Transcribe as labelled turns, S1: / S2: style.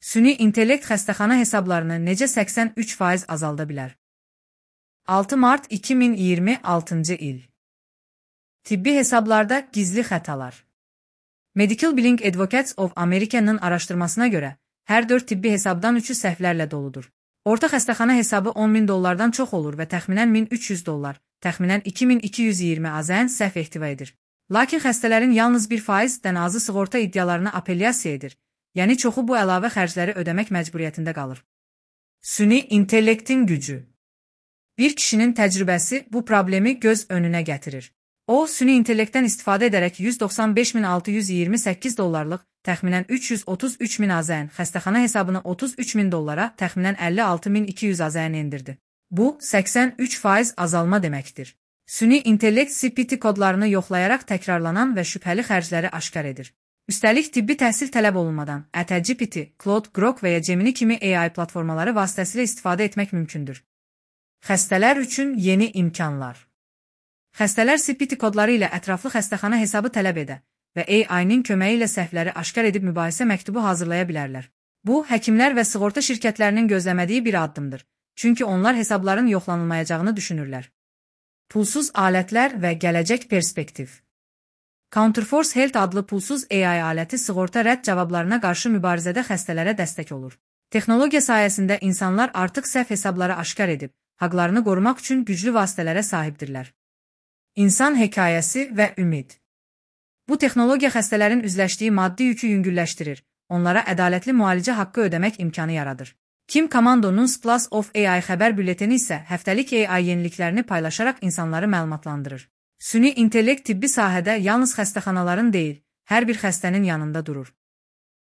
S1: Süni intellekt xəstəxana hesablarını necə 83% azalda bilər? 6 mart 2026-cı il. Tibbi hesablarda gizli xətalar. Medical Billing Advocates of America'nın araşdırmasına görə, hər 4 tibbi hesabdan 3'ü səhvlərlə doludur. Orta xəstəxana hesabı $10.000-dan çox olur və təxminən $1.300, təxminən 2220 AZN səhv ehtiva edir. Lakin xəstələrin yalnız 1%-dən azı sığorta iddialarını apellyasiya edir, yəni çoxu bu əlavə xərcləri ödəmək məcburiyyətində qalır. Süni intellektin gücü. Bir kişinin təcrübəsi bu problemi göz önünə gətirir. O, süni intellektdən istifadə edərək $195.628, təxminən $333.000 AZN xəstəxana hesabını $33.000, təxminən $56.200 AZN endirdi. Bu, 83% azalma deməkdir. Süni intellekt CPT kodlarını yoxlayaraq təkrarlanan və şübhəli xərcləri aşkar edir. Üstəlik, tibbi təhsil tələb olunmadan ChatGPT, Claude, Grok və ya Gemini kimi AI platformaları vasitəsilə istifadə etmək mümkündür. Xəstələr üçün yeni imkanlar. Xəstələr CPT kodları ilə ətraflı xəstəxana hesabı tələb edə və AI-nin köməyi ilə səhvləri aşkar edib mübahisə məktubu hazırlaya bilərlər. Bu, həkimlər və sığorta şirkətlərinin gözləmədiyi bir addımdır, çünki onlar hesabların yoxlanılmayacağını düşünürlər. Pulsuz alətlər və gələcək perspektiv. Counterforce Health adlı pulsuz AI aləti sığorta rədd cavablarına qarşı mübarizədə xəstələrə dəstək olur. Texnologiya sayəsində insanlar artıq səhv hesabları aşkar edib, haqlarını qorumaq üçün güclü vasitələrə sahibdirlər. İnsan hekayəsi və ümid. Bu texnologiya xəstələrin üzləşdiyi maddi yükü yüngülləşdirir, onlara ədalətli müalicə haqqı ödəmək imkanı yaradır. Kim Commando'nun Plus of AI xəbər bülleteni isə həftəlik AI yeniliklərini paylaşaraq insanları məlumatlandırır. Süni intellekt tibbi sahədə yalnız xəstəxanaların deyil, hər bir xəstənin yanında durur.